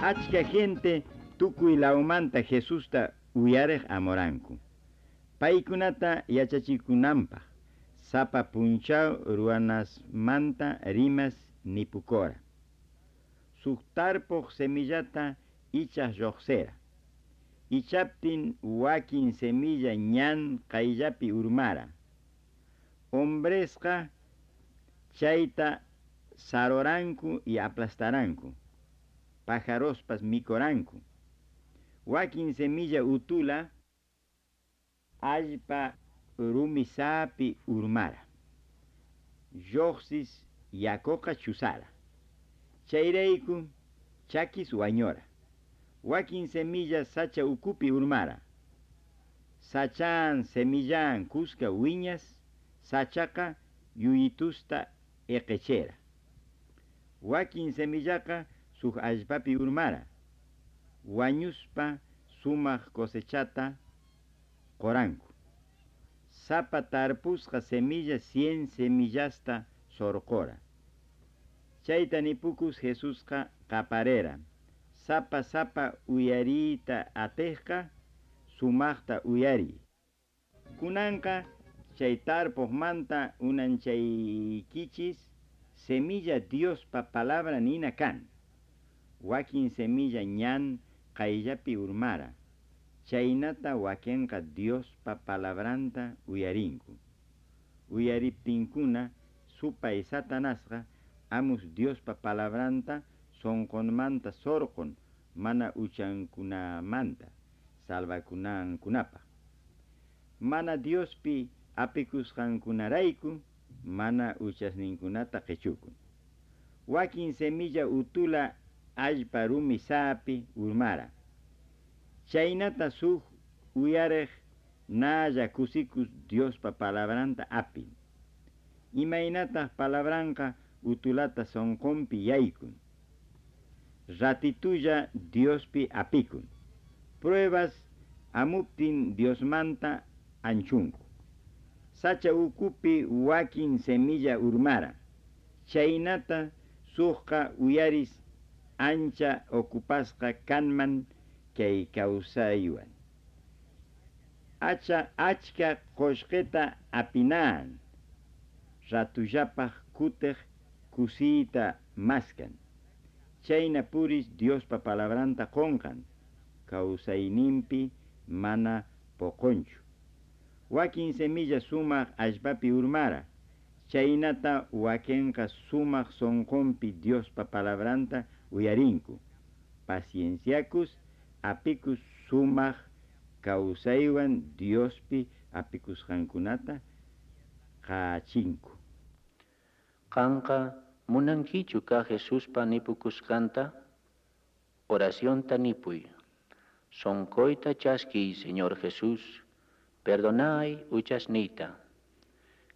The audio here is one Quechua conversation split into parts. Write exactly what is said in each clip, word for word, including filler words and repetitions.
Achka gente tukuy lawmanta Jesusta uyariq amoranku. Paykunata yachachikunanpaq sapa punchaw ruwanasmanta rimas nipukora. Suk tarpuq semillata ichaq lluqsira. Ichaptin wakin semilla ñan qayllapi urmara. Hombresqa chayta saroranku y aplastaranku. Pajarospas mikoranku. Wakin semilla utula allpa rumisapi urmara. Lluqsis yakuqa chusara. Chayrayku chakis wañora. Wakin semilla sacha ukupi urmara. Sachan semillan kuska wiñas sachaqa yuyitusta eqechera. Wakin semillaqa suk allpapi urmara. Wañuspa sumaq cosechata qoranku. Sapa tarpusqa semilla cien semillasta sorqora. Chayta nipukus Jesusqa qaparera. Sapa sapa uyariyta atiqqa sumaqta uyariy. Kunanqa chay tarpuqmanta unanchaykichis semilla Diospa palabra nina kan. Wakin semilla ñan qayllapi urmara. Chaynata wakinqa Diospa palabranta uyarinku. Uyariptinkuna supay Satanasqa amus Diospa palabranta sunqunmanta surqun mana uchankunamanta salvakunankunapaq. Mana Diospi apikusqankunarayku mana uchasninkunata qichukun. Wakin semilla utula allpa rumi saapi urmara. Chaynata suk uyariq nalla kusikus Diospa palabranta apin. Imaynataq palabranqa utulata sunqunpi yaykun. Ratitulla Diospi apikun. Pruebas amuptin Diosmanta anchunku. Sacha ukupi wakin semilla urmara. Chaynata suqqa uyaris ancha ocupasqa kanman kay kawsaywan. Acha achka qullqita apinaan. Ratullapaq kutiq kusiyta maskan. Chayna puris Diospa palabranta qunqan. Kawsayninpi mana puqunchu. Wakin semilla sumaq allpapi urmara. Chaynata wakinqa sumaq sunqunpi Diospa palabranta uyarinku. Pacienciakus apikus sumaq kawsaywan Diospi apikusqankunata qachinku. Qanqa munankichu ka Jesuspa nipukusqanta? Oracionta nipuy. Sonqoyta chaskiy, Señor Jesús, perdonay uchasniyta.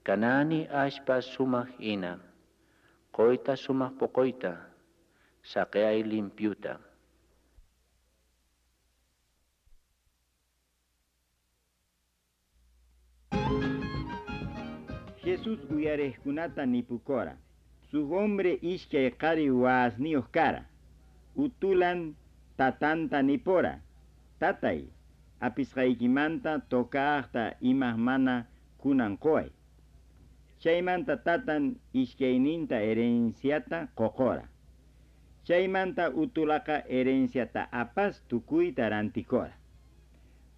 Kanani allpa sumaq hina, qoyta sumaq poqoyta, saqeay limpiuta. Jesús uyariqkunata nipukora. Suk hombre ishkay qari wasniyuq kara. Utulan tatanta nipora. Tatay, apisqaykimanta tokaqta imaq mana kunan quway. Chaymanta tatan ishkayninta herenciata qoqora. Chaymanta utulaqa herenciata apas tukuyta rantikora.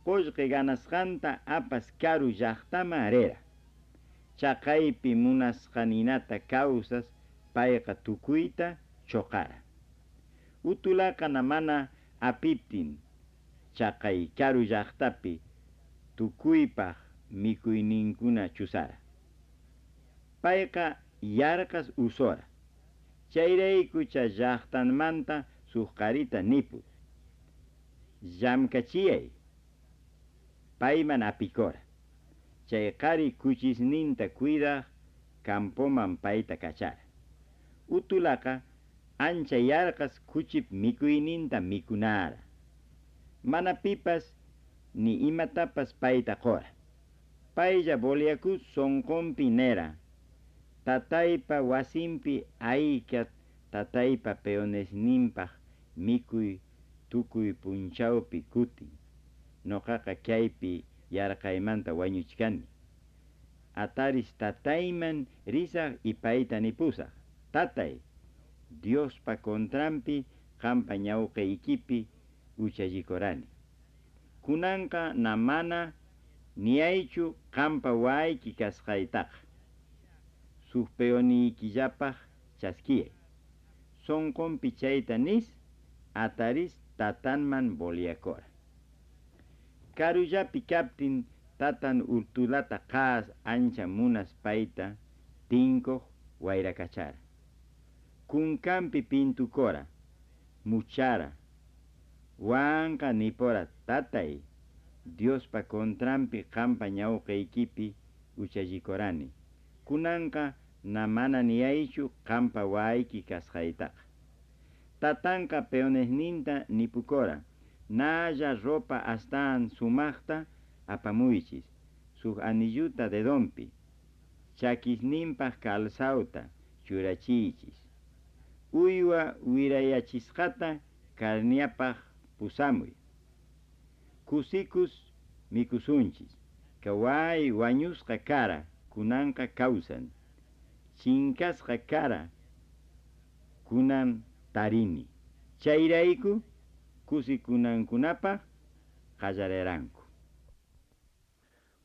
Qullqi ganasqanta apas karu llaqtama rera. Chaqaypi munasqaninata kawsas payqa tukuyta choqara. Utulaqa mana apiptin chaqay karu llaqtapi tukuypaq mikuyninkuna chusara. Payqa yarqas usora. Chayrayku chay llaqtanmanta suk qarita nipus. Llamkachiyay. Payman apikora. Chay qari kuchisninta cuidaq campoman payta kachara. Utulaqa ancha yarqas kuchip mikuyninta mikunara. Mana pipas ni imatapas payta qora. Paylla boliakus sunqunpi nera. Tataypa wasinpi ayka tataypa peonesninpaq Mikuy tukuy punchawpi kutin. Noqaqa kaypi yarqaymanta wañuchkani. Ataris tatayman risaq y payta nipusaq. Tatay, Diospa contranpi qampa ñawqaykipi uchallikurani. Kunanqa na mana niyaychu qampa wayki kasqaytaqa. Suq peoniykillapaq chaskiyay. Sonqonpi chayta nis ataris tatanman boliakora. Karullapi kaptin tatan urtulata qaas ancha munas payta tinkuq wayrakachara. Kunkanpi pintukora, muchara, wanqa nipora tatay, Diospa contranpi qampa ñawqaykipi uchallikurani. Kunanqa na mana niyaychu qampa wayki kasqaytaqa. Tatanqa peonesninta nipukora, nalla ropa astaan sumaqta apamuychis, suq anilluta dedonpi, chakisninpaq calzauta churachiychis. Uywa wirayachisqata karniapaq pusamuy. Kusikus mikusunchis, kaway wañusqa kara kunanqa kawsan, chinkasqa kara kunan tarini. Chayrayku kusikunankunapaq qallariranku.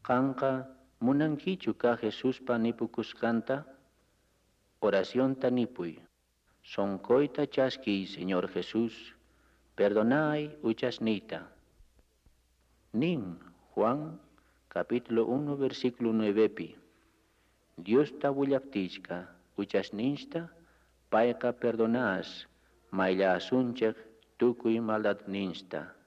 Qanqa munankichu ka Jesuspa nipukusqanta? Oracionta nipuy. Sonqoyta chaskiy Señor Jesús, perdonay uchasniyta. Nin Juan capítulo uno versículo nuevepi, Diosta willaptichka uchasninchta payqa perdonaas mayllaasunchik tukuy maldadninchta.